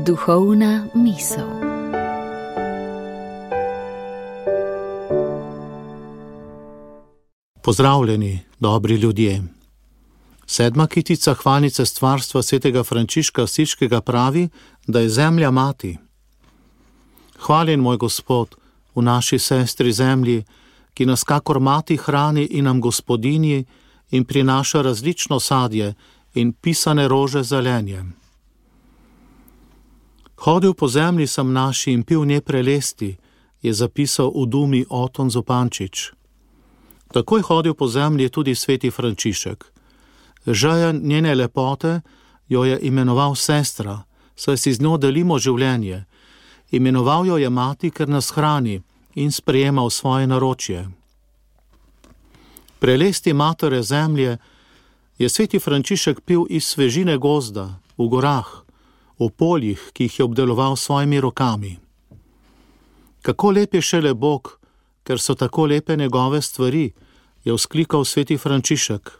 Duhovna misel. Pozdravljeni, dobri ljudje. 7. kitica hvalnice stvarstva svetega Frančiška Asiškega pravi, da je zemlja mati. Hvaljen moj Gospod v naši sestri zemlji, ki nas kakor mati hrani in nam gospodinji in prinaša različno sadje in pisane rože zelenje. Hodil po zemlji sem naši in pil nje prelesti, je zapisal v Dumi Oton Zupančič. Takoj hodil po zemlji tudi sveti Frančišek. Žejen njene lepote jo je imenoval sestra, saj si z njo delimo življenje. Imenoval jo je mati, ker nas hrani in sprejema v svoje naročje. Prelesti matere zemlje je sveti Frančišek pil iz svežine gozda, v gorah, v poljih, ki jih je obdeloval s svojimi rokami. Kako lep je šele Bog, ker so tako lepe njegove stvari, je vzklikal sveti Frančišek.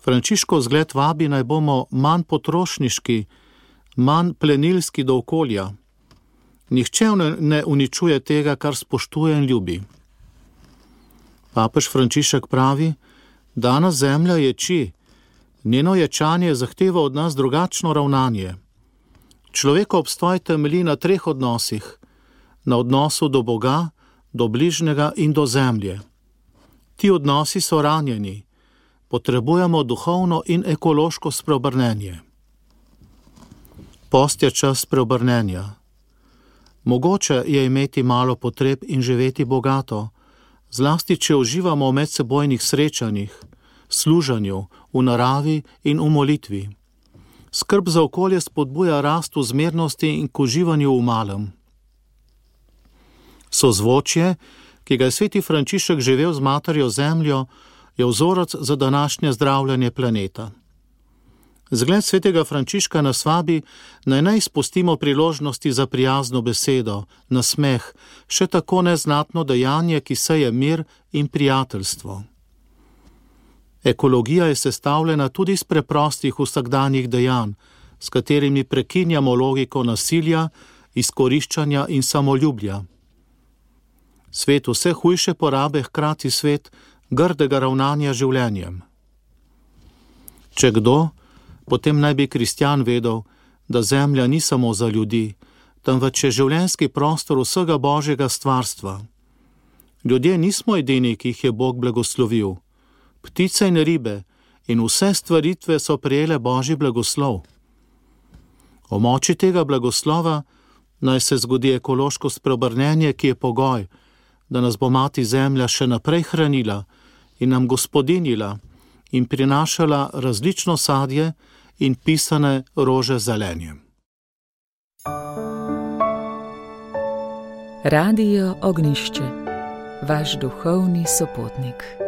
Frančiškov zgled vabi, naj bomo manj potrošniški, manj plenilski do okolja. Nihče ne uničuje tega, kar spoštuje in ljubi. Papež Frančišek pravi, danes zemlja ječi, njeno ječanje zahteva od nas drugačno ravnanje. Človekov obstoj temelji na 3 odnosih, na odnosu do Boga, do bližnjega in do zemlje. Ti odnosi so ranjeni, potrebujemo duhovno in ekološko spreobrnenje. Post je čas preobrnenja. Mogoče je imeti malo potreb in živeti bogato, zlasti če uživamo v medsebojnih srečanjih, služenju, v naravi in v molitvi. Skrb za okolje spodbuja rast v zmernosti in k uživanju v malem. Sozvočje, ki ga je sveti Frančišek živel z materjo zemljo, je vzorec za današnje zdravljenje planeta. Zgled svetega Frančiška nas vabi, naj ne izpustimo priložnosti za prijazno besedo, nasmeh, še tako neznatno dejanje, ki seje mir in prijateljstvo. Ekologija je sestavljena tudi iz preprostih vsakdanjih dejanj, s katerimi prekinjamo logiko nasilja, izkoriščanja in samoljublja. Svet vse hujše porabe hkrati svet grdega ravnanja življenjem. Če kdo, potem naj bi kristjan vedel, da zemlja ni samo za ljudi, temveč je življenjski prostor vsega Božjega stvarstva. Ljudje nismo edini, ki jih je Bog blagoslovil. Ptice in ribe in vse stvaritve so prejele Božji blagoslov. O moči tega blagoslova naj se zgodi ekološko spreobrnenje, ki je pogoj, da nas bo mati zemlja še naprej hranila in nam gospodinjila in prinašala različno sadje in pisane rože zelenjem. Radio Ognjišče, vaš duhovni sopotnik.